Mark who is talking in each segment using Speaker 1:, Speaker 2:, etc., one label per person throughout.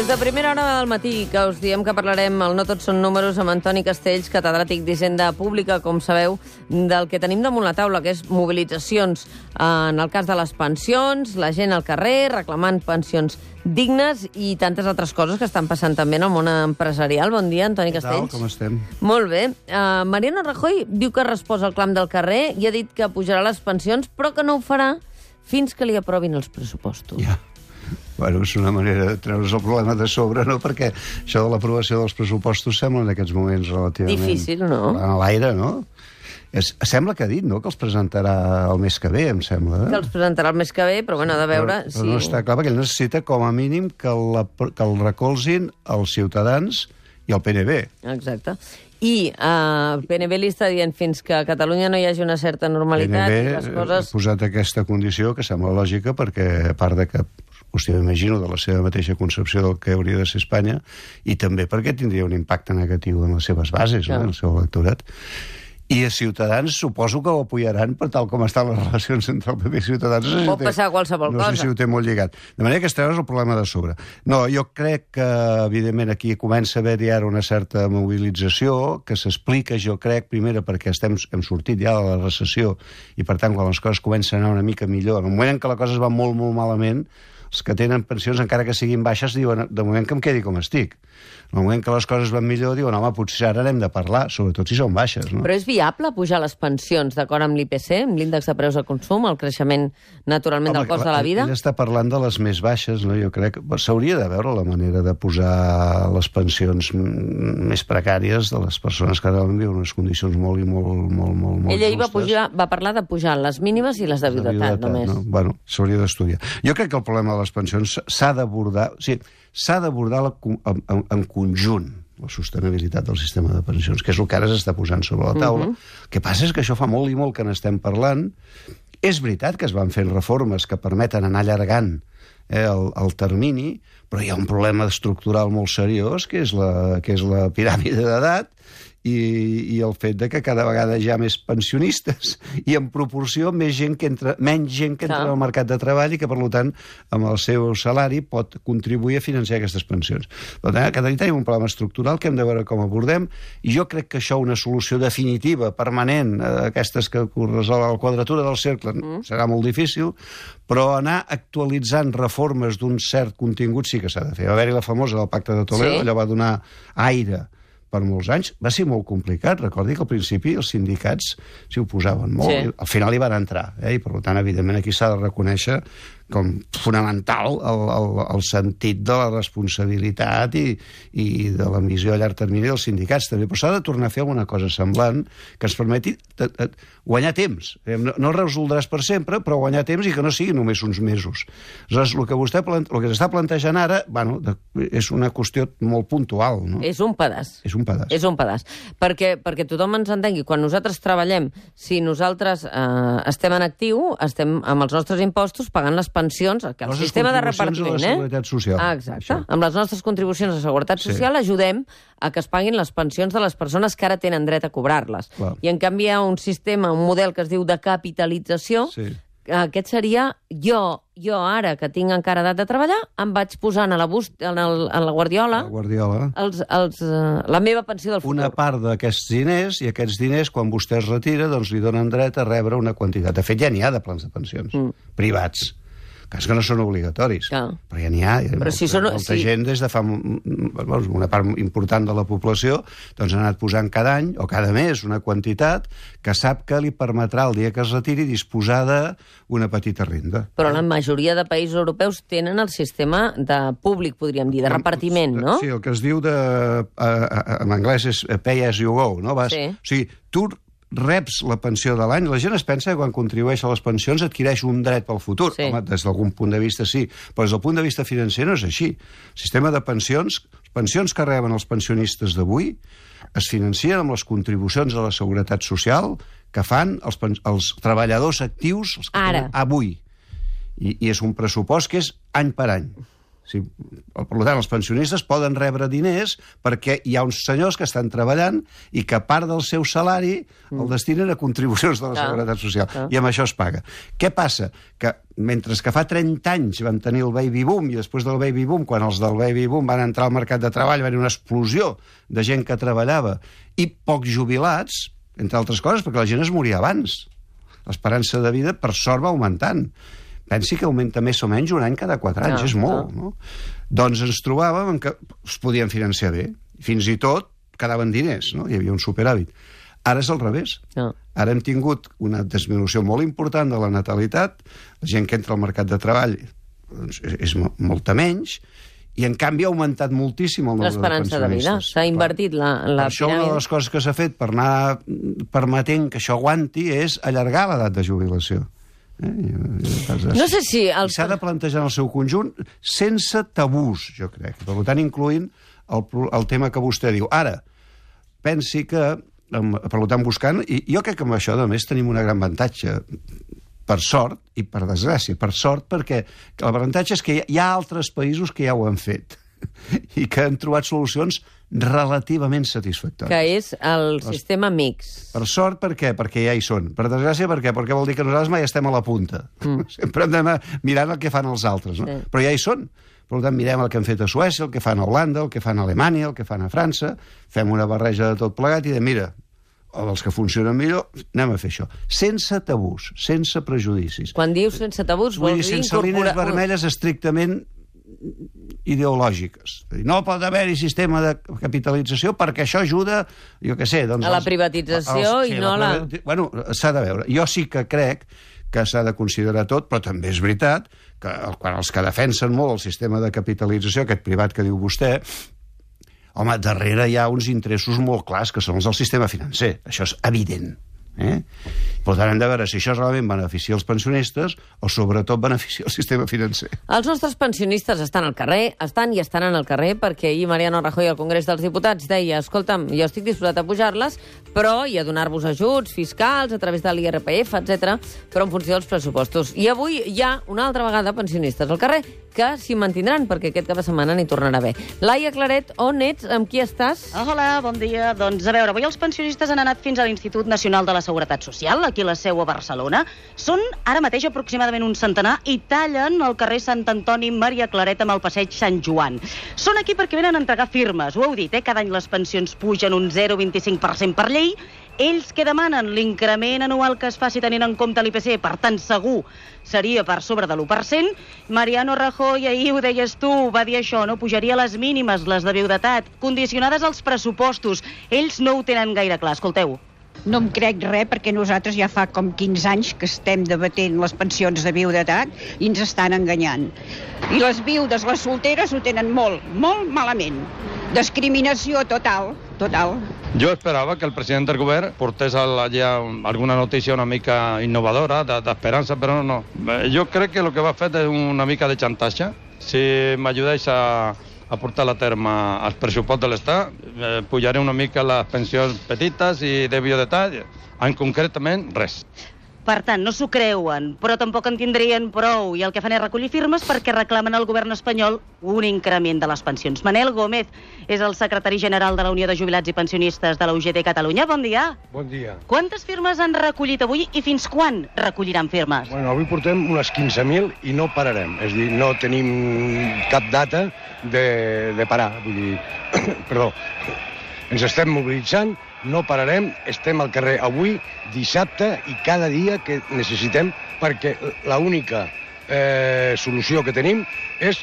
Speaker 1: Des de primera hora del matí que us diem que parlarem el No Tots Són Números amb Antoni Castells, catedràtic d'Hisenda Pública, com sabeu, del que tenim damunt la taula, que és mobilitzacions en el cas de les pensions, la gent al carrer reclamant pensions dignes i tantes altres coses que estan passant també en el món empresarial. Bon dia, Antoni Castells.
Speaker 2: Com estem?
Speaker 1: Molt bé. Mariano Rajoy diu que resposa al clam del carrer i ha dit que pujarà les pensions, però que no ho farà fins que li aprovin els pressupostos.
Speaker 2: Ja. Bueno, és una manera de treure's el problema de sobre, no? Perquè això de l'aprovació dels pressupostos sembla en aquests moments relativament...
Speaker 1: Difícil, no?
Speaker 2: A l'aire, no? Sembla que ha dit, no?, que els presentarà el mes que ve, em sembla.
Speaker 1: Que els presentarà el mes que ve, però bueno, ha de veure...
Speaker 2: Però no està clar, perquè ell necessita, com a mínim, que el recolzin els Ciutadans i el PNB.
Speaker 1: Exacte. I el PNB li està dient fins que a Catalunya no hi hagi una certa normalitat i les coses...
Speaker 2: ha posat aquesta condició, que sembla lògica, perquè a part de que, hòstia, m'imagino, de la seva mateixa concepció del que hauria de ser Espanya, i també perquè tindria un impacte negatiu en les seves bases, no? En el seu electorat. I els Ciutadans suposo que ho apoyaran per tal com estan les relacions entre el PP i Ciutadans.
Speaker 1: Pot passar qualsevol cosa.
Speaker 2: No sé si ho té molt lligat. De manera que es treure's el problema de sobre. No, jo crec que, evidentment, aquí comença a haver-hi ara una certa mobilització que s'explica, jo crec, primera, perquè hem sortit ja de la recessió i, per tant, quan les coses comencen a anar una mica millor, en el moment en què les coses van molt, molt malament, els que tenen pensions, encara que siguin baixes, diuen, de moment que em quedi com estic. En el moment que les coses van millor, diuen, home, potser ara n'hem de parlar, sobretot si són baixes, no?
Speaker 1: Però és viable pujar les pensions d'acord amb l'IPC, amb l'índex de preus de consum, el creixement, naturalment, del cost de la vida?
Speaker 2: Ell està parlant de les més baixes, no? Jo crec que s'hauria de veure la manera de posar les pensions més precàries de les persones que ara viuen en unes condicions molt justes.
Speaker 1: Ell ahir va parlar de pujar les mínimes i les de viudetat, només.
Speaker 2: No? Bueno, s'hauria d'estudiar. Jo crec que el problema de les pensions s'ha d'abordar... O sigui, s'ha d'abordar en conjunt la sostenibilitat del sistema de pensions, que és el que ara s'està posant sobre la taula. El que passa és que això fa molt i molt que n'estem parlant. És veritat que es van fent reformes que permeten anar allargant el termini, però hi ha un problema estructural molt seriós, que és la piràmide d'edat, i el fet de que cada vegada hi ha més pensionistes i en proporció menys gent que entra al mercat de treball i que, per tant, amb el seu salari pot contribuir a financiar aquestes pensions. Per tant, cada dia tenim un problema estructural que hem de veure com abordem, i jo crec que això, una solució definitiva, permanent, aquestes que resol la quadratura del cercle, serà molt difícil, però anar actualitzant reformes d'un cert contingut sí que s'ha de fer. Va haver-hi la famosa del Pacte de Toledo, allò va donar aire per molts anys, va ser molt complicat. Recordi que al principi els sindicats s'hi oposaven molt, i al final hi van entrar, i per tant, evidentment, aquí s'ha de reconèixer com fonamental el sentit de la responsabilitat i de la missió a llarg termini dels sindicats també, però s'ha de tornar a fer alguna cosa semblant que ens permeti guanyar temps. No el resoldràs per sempre, però guanyar temps i que no sigui només uns mesos. Aleshores, el que s'està plantejant ara, bueno, és una qüestió molt puntual, no?
Speaker 1: És un pedaç.
Speaker 2: És un pedaç.
Speaker 1: És un pedaç. Perquè tothom ens entengui, quan nosaltres treballem, si nosaltres estem en actiu, estem amb els nostres impostos pagant les pensions, que el sistema de repartiment...
Speaker 2: A la Seguretat Social.
Speaker 1: Exacte. Això. Amb les nostres contribucions a la Seguretat Social ajudem a que es paguin les pensions de les persones que ara tenen dret a cobrar-les. I en canvi hi ha un sistema, un model que es diu de capitalització. Aquest seria jo ara, que tinc encara edat de treballar, em vaig posant a la guardiola la meva pensió del futur.
Speaker 2: Una part d'aquests diners, i aquests diners, quan vostè es retira, doncs li donen dret a rebre una quantitat. De fet, ja n'hi ha de plans de pensions privats, que no són obligatoris, però ja n'hi ha. Molta gent, des de fa una part important de la població, doncs ha anat posant cada any o cada mes una quantitat que sap que li permetrà el dia que es retiri disposar d'una petita renda.
Speaker 1: Però la majoria de països europeus tenen el sistema de públic, podríem dir, de repartiment, no?
Speaker 2: Sí, el que es diu en anglès és pay as you go, no? O sigui, tu reps la pensió de l'any. La gent es pensa que quan contribueix a les pensions adquireix un dret pel futur. Home, des d'algun punt de vista sí, però des del punt de vista financer no és així. El sistema de pensions, les pensions que reben els pensionistes d'avui es financien amb les contribucions a la Seguretat Social que fan els treballadors actius avui. I és un pressupost que és any per any. Per tant, els pensionistes poden rebre diners perquè hi ha uns senyors que estan treballant i que part del seu salari el destinen a contribucions de la Seguretat Social. I amb això es paga. Què passa? Que mentre que fa 30 anys vam tenir el baby boom i després del baby boom, quan els del baby boom van entrar al mercat de treball, va haver una explosió de gent que treballava i pocs jubilats, entre altres coses, perquè la gent es moria abans. L'esperança de vida, per sort, va augmentant. Pensi que augmenta més o menys un any cada 4 anys, és molt, no? Doncs ens trobàvem que es podien financiar bé. Fins i tot quedaven diners, no? Hi havia un superàvit. Ara és al revés. Ara hem tingut una disminució molt important de la natalitat, la gent que entra al mercat de treball és molta menys, i en canvi ha augmentat moltíssim el nombre de pensionistes.
Speaker 1: L'esperança de vida. S'ha invertit la piràmide.
Speaker 2: Això, una de les coses que s'ha fet per anar permetent que això aguanti és allargar l'edat de jubilació.
Speaker 1: No sé si...
Speaker 2: S'ha de plantejar en el seu conjunt sense tabús, jo crec. Per tant, incloent el tema que vostè diu. Ara, pensi que, per tant, buscant... I jo crec que amb això, a més, tenim un gran avantatge, per sort i per desgràcia. Per sort, perquè l'avantatge és que hi ha altres països que ja ho han fet i que han trobat solucions relativament satisfactòries.
Speaker 1: Que és el sistema mix.
Speaker 2: Per sort, per què? Perquè ja hi són. Per desgràcia, per què? Perquè vol dir que nosaltres mai estem a la punta. Sempre hem d'anar mirant el que fan els altres, no? Però ja hi són. Per tant, mirem el que han fet a Suècia, el que fan a Holanda, el que fan a Alemanya, el que fan a França, fem una barreja de tot plegat i mira, els que funcionen millor, anem a fer això. Sense tabús, sense prejudicis.
Speaker 1: Quan dius sense tabús, vol dir
Speaker 2: sense línies vermelles estrictament ideològiques. No pot haver-hi sistema de capitalització perquè això ajuda, jo què sé...
Speaker 1: A la privatització i no a la...
Speaker 2: Bueno, s'ha de veure. Jo sí que crec que s'ha de considerar tot, però també és veritat que quan els que defensen molt el sistema de capitalització, aquest privat que diu vostè, home, darrere hi ha uns interessos molt clars, que són els del sistema financer. Això és evident. Per tant, hem de veure si això realment beneficia els pensionistes o sobretot beneficia el sistema financer.
Speaker 1: Els nostres pensionistes estan al carrer, estan al carrer, perquè ahir Mariano Rajoy al Congrés dels Diputats deia, escolta'm, jo estic disposat a pujar-les, però i a donar-vos ajuts fiscals a través de l'IRPF, etc, però en funció dels pressupostos. I avui hi ha una altra vegada pensionistes al carrer que s'hi mantindran, perquè aquest cap de setmana n'hi tornarà a haver. Laia Claret, on ets? Amb qui estàs?
Speaker 3: Hola, bon dia. Doncs a veure, avui els pensionistes han anat fins a l'Institut Nacional de la Seguretat Social, aquí a la seu a Barcelona. Són ara mateix aproximadament un centenar i tallen el carrer Sant Antoni Maria Claret amb el passeig Sant Joan. Són aquí perquè venen a entregar firmes, ho heu dit, cada any les pensions pugen un 0,25% per llei. Ells que demanen l'increment anual que es faci tenint en compte l'IPC, per tant segur seria per sobre de l'1%. Mariano Rajoy, ahir ho deies tu, va dir això, no? Pujaria les mínimes, les de viudetat, condicionades als pressupostos. Ells no ho tenen gaire clar, escolteu.
Speaker 4: No em crec res perquè nosaltres ja fa com 15 anys que estem debatent les pensions de viudetat i ens estan enganyant. I les viudes, les solteres, ho tenen molt, molt malament. Discriminació total, total.
Speaker 5: Jo esperava que el president del govern portés allà alguna notícia una mica innovadora, d'esperança, però no. Jo crec que el que va fer és una mica de xantatge. Si m'ajudeix a portar a terme els pressupostos de l'Estat, pujaré una mica les pensions petites i de viudetat, en concretament res.
Speaker 3: Per tant, no s'ho creuen, però tampoc en tindrien prou, i el que fan és recollir firmes perquè reclamen al govern espanyol un increment de les pensions. Manel Gómez és el secretari general de la Unió de Jubilats i Pensionistes de la UGT Catalunya. Bon dia.
Speaker 6: Bon dia.
Speaker 3: Quantes firmes han recollit avui i fins quan recolliran firmes?
Speaker 6: Bueno, avui portem unes 15.000 i no pararem. És a dir, no tenim cap data de parar. Vull dir, perdó, ens estem mobilitzant, no pararem, estem al carrer avui, dissabte i cada dia que necessitem, perquè l'única solució que tenim és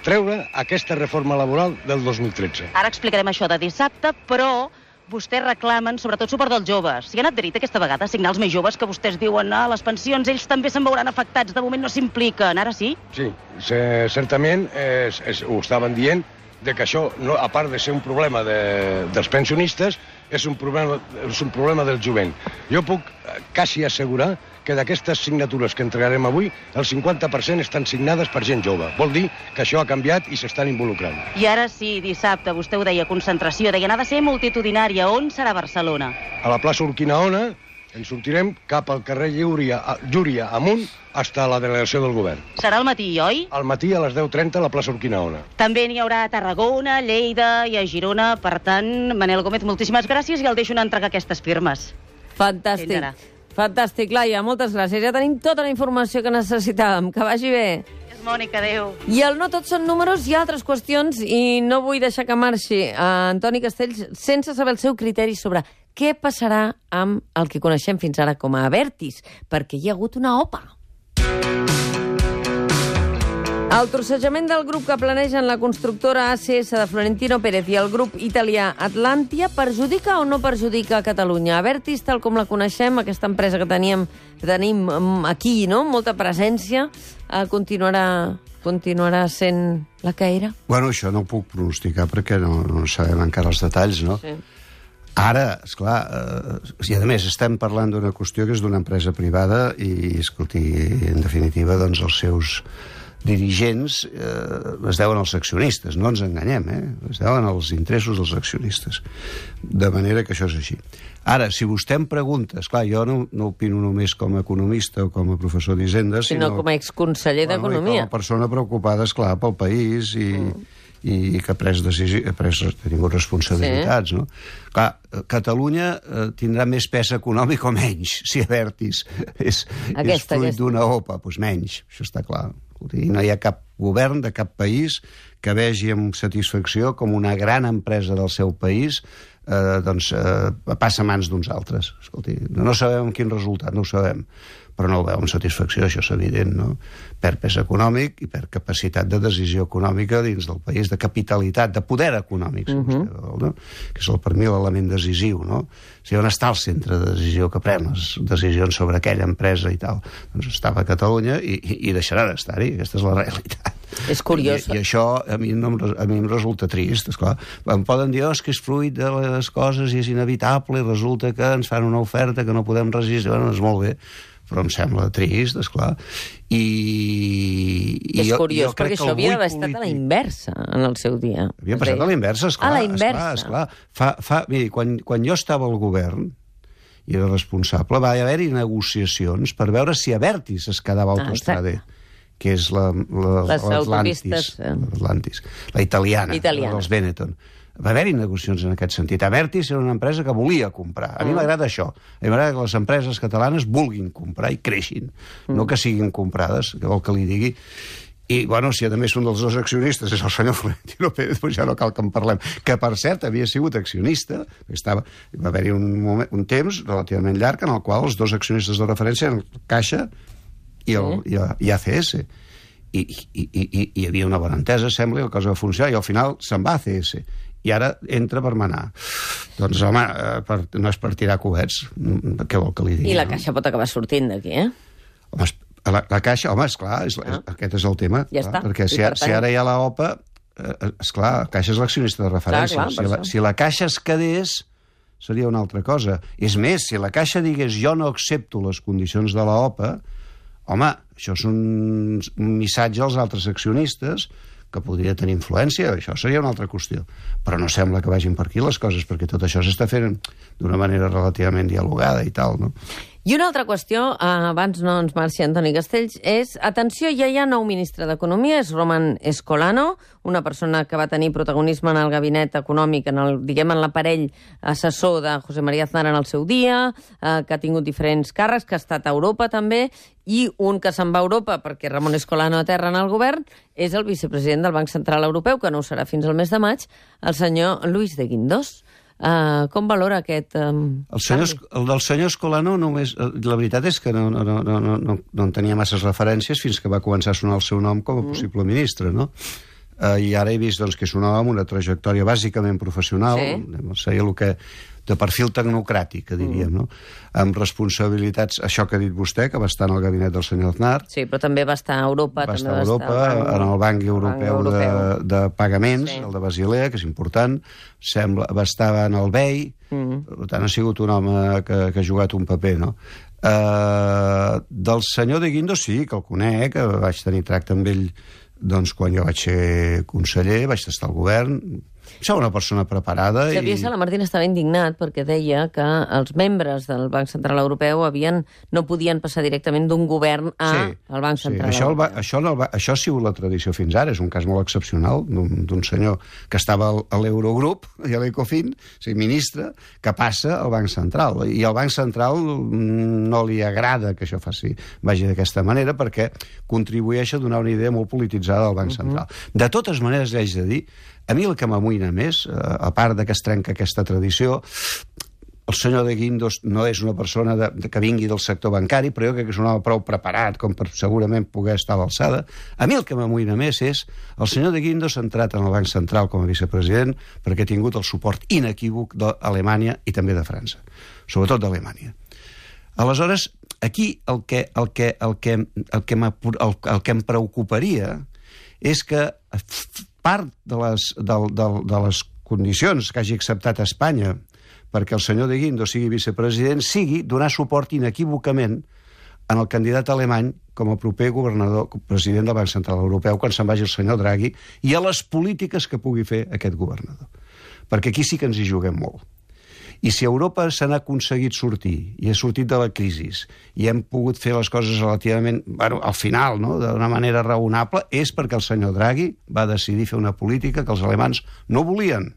Speaker 6: treure aquesta reforma laboral del 2013.
Speaker 3: Ara explicarem això de dissabte, però vostès reclamen sobretot suport dels joves. Si han adherit aquesta vegada a signar els més joves que vostès diuen les pensions, ells també se'n veuran afectats, de moment no s'impliquen, ara sí?
Speaker 6: Sí, certament ho estaven dient, de que això, a part de ser un problema dels pensionistes, és un problema del jovent. Jo puc quasi assegurar que d'aquestes signatures que entregarem avui, el 50% estan signades per gent jove. Vol dir que això ha canviat i s'estan involucrant.
Speaker 3: I ara sí, dissabte, vostè ho deia, concentració, deien, ha de ser multitudinària. On serà Barcelona?
Speaker 6: A la plaça Urquinaona, Ens sortirem cap al carrer Llúria amunt fins a la delegació del govern.
Speaker 3: Serà al matí, oi?
Speaker 6: Al matí a les 10:30 a la plaça Urquinaona.
Speaker 3: També n'hi haurà a Tarragona, Lleida i a Girona. Per tant, Manel Gómez, moltíssimes gràcies i el deixo anar a entregar aquestes firmes.
Speaker 1: Fantàstic. Fantàstic, Laia, moltes gràcies. Ja tenim tota la informació que necessitàvem. Que vagi bé.
Speaker 3: Mònica, adéu.
Speaker 1: I el No tots són números, hi ha altres qüestions i no vull deixar que marxi Antoni Castells sense saber el seu criteri sobre què passarà amb el que coneixem fins ara com a Abertis, perquè hi ha hagut una OPA. El trossejament del grup que planegen la constructora ACS de Florentino Pérez i el grup italià Atlantia perjudica o no perjudica a Catalunya? Abertis, tal com la coneixem, aquesta empresa que tenim aquí, no? Molta presència, continuarà sent la que era?
Speaker 2: Bueno, això no ho puc pronosticar perquè no sabem encara els detalls, no? Sí. Ara, esclar, i a més estem parlant d'una qüestió que és d'una empresa privada i, escolti, en definitiva, doncs els seus dirigents es deuen als accionistes, no ens enganyem, es deuen als interessos dels accionistes. De manera que això és així. Ara, si vostè em pregunta, esclar, jo no opino només com a economista o com a professor d'Hisenda,
Speaker 1: sinó com a exconseller d'Economia.
Speaker 2: Com a persona preocupada, esclar, pel país i que ha tingut responsabilitats, no? Clar, Catalunya tindrà més pes econòmic o menys, si Abertis és fruit d'una OPA, doncs menys, això està clar. I no hi ha cap govern de cap país que vegi amb satisfacció com una gran empresa del seu país passa a mans d'uns altres. Escolti, no sabem quin resultat, no ho sabem, però no ho veu amb satisfacció, això és evident, no? Per pes econòmic i per capacitat de decisió econòmica dins del país, de capitalitat, de poder econòmic, si vostè vol, no? Que és per mi l'element decisiu, no? O sigui, on està el centre de decisió que pren les decisions sobre aquella empresa i tal? Doncs estava a Catalunya i deixarà d'estar-hi, aquesta és la realitat.
Speaker 1: És curiós.
Speaker 2: I això a mi em resulta trist, esclar. Em poden dir, és que és fruit de les coses i és inevitable i resulta que ens fan una oferta que no podem resistir. Bueno, és molt bé, però em sembla trist, esclar.
Speaker 1: És curiós, perquè això havia d'haver estat a la inversa en el seu dia.
Speaker 2: Havia passat a la inversa, esclar.
Speaker 1: A la inversa.
Speaker 2: Esclar. Miri, quan jo estava al govern i era responsable, va haver-hi negociacions per veure si Abertis es quedava Autostrade, que és l'Atlantis, la italiana, dels Benetton. Va haver-hi negociacions en aquest sentit. Abertis era una empresa que volia comprar. A mi m'agrada això. A mi m'agrada que les empreses catalanes vulguin comprar i creixin, no que siguin comprades, que vol que li digui. I, bueno, si a més un dels dos accionistes és el senyor Florentino Pérez, doncs ja no cal que en parlem. Que, per cert, havia sigut accionista, va haver-hi un temps relativament llarg en el qual els dos accionistes de referència eren Caixa i ACS. I hi havia una bona entesa, sembla, i la cosa va funcionar, i al final se'n va a ACS. I ara entra per manar. Doncs, home, no és per tirar coets. Què vol que li digui?
Speaker 1: I la Caixa pot acabar sortint d'aquí,
Speaker 2: Home, la Caixa, home, esclar, aquest és el tema.
Speaker 1: Ja està.
Speaker 2: Perquè si ara hi ha la OPA, esclar, la Caixa és l'accionista de referència. Si la Caixa es quedés, seria una altra cosa. És més, si la Caixa digués jo no accepto les condicions de la OPA, home, això és un missatge als altres accionistes que podria tenir influència, això seria una altra qüestió. Però no sembla que vagin per aquí les coses, perquè tot això s'està fent d'una manera relativament dialogada i tal, no?
Speaker 1: I una altra qüestió, abans no ens marxi Antoni Castells, és, atenció, ja hi ha nou ministre d'Economia, és Roman Escolano, una persona que va tenir protagonisme en el gabinet econòmic, en l'aparell assessor de José María Aznar en el seu dia, que ha tingut diferents càrrecs, que ha estat a Europa també, i un que se'n va a Europa perquè Ramon Escolano aterra en el govern és el vicepresident del Banc Central Europeu, que no ho serà fins al mes de maig, el senyor Luis de Guindos. Com valora aquest canvi?
Speaker 2: El del senyor Escolano només... La veritat és que no en tenia masses referències fins que va començar a sonar el seu nom com a possible ministre, no? I ara he vist que és un home amb una trajectòria bàsicament professional, seria el que de perfil tecnocràtic, que diríem, no? Amb responsabilitats, això que ha dit vostè, que va estar en el gabinet del senyor Aznar.
Speaker 1: Sí, però també va estar a Europa.
Speaker 2: Va estar a Europa, en el Banc Europeu de Pagaments, el de Basilea, que és important. Va estar en el BEI, per tant ha sigut un home que ha jugat un paper, no? Del senyor de Guindos sí, que el conec, que vaig tenir tracte amb ell doncs quan jo vaig ser conseller, vaig estar al govern, Això una persona preparada...
Speaker 1: Xavier Salamartín estava indignat perquè deia que els membres del Banc Central Europeu no podien passar directament d'un govern al Banc Central Europeu.
Speaker 2: Això ha sigut la tradició fins ara. És un cas molt excepcional d'un senyor que estava a l'Eurogrup i a l'Ecofin, ministre, que passa al Banc Central. I al Banc Central no li agrada que això vagi d'aquesta manera perquè contribueix a donar una idea molt polititzada del Banc Central. De totes maneres, li haig de dir, a mi el que m'amoïna més, a part de que es trenca aquesta tradició, el senyor de Guindos no és una persona que vingui del sector bancari, però jo crec que és un home prou preparat com per segurament poder estar a l'alçada. A mi el que m'amoïna més és el senyor de Guindos ha entrat en el Banc Central com a vicepresident perquè ha tingut el suport inequívoc d'Alemanya i també de França, sobretot d'Alemanya. Aleshores, aquí el que em preocuparia és que part de les condicions que hagi acceptat Espanya perquè el senyor de Guindos sigui vicepresident sigui donar suport inequívocament en el candidat alemany com a proper president del Banc Central Europeu quan se'n vagi el senyor Draghi i a les polítiques que pugui fer aquest governador. Perquè aquí sí que ens hi juguem molt. I si Europa se n'ha aconseguit sortir i ha sortit de la crisi i hem pogut fer les coses relativament, al final, d'una manera raonable, és perquè el senyor Draghi va decidir fer una política que els alemans no volien.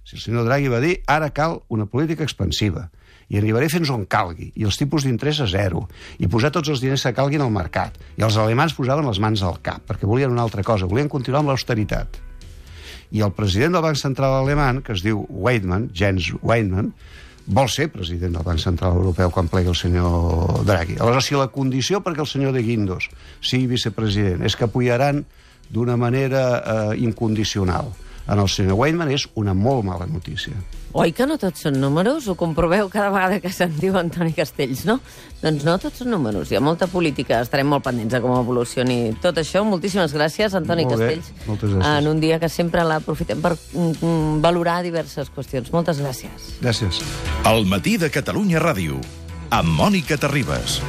Speaker 2: Si el senyor Draghi va dir, ara cal una política expansiva i arribaré fins on calgui, i els tipus d'interès a zero, i posar tots els diners que calguin al mercat. I els alemans posaven les mans al cap, perquè volien una altra cosa, volien continuar amb l'austeritat. I el president del Banc Central alemany, que es diu Jens Weidmann, vol ser president del Banc Central Europeu quan plegui el senyor Draghi. Aleshores, si la condició perquè el senyor de Guindos sigui vicepresident és que apoyaran d'una manera incondicional en el senyor Weidmann, és una molt mala notícia.
Speaker 1: Oi que no tots són números? Ho comproveu cada vegada que se'n diu Antoni Castells, no? Doncs no tots són números. Hi ha molta política. Estarem molt pendents de com evolucioni tot això. Moltíssimes gràcies, Antoni Castells.
Speaker 2: Moltes gràcies.
Speaker 1: En un dia que sempre l'aprofitem per valorar diverses qüestions. Moltes gràcies.
Speaker 2: Gràcies.
Speaker 7: El matí de Catalunya Ràdio, amb Mònica Terribas.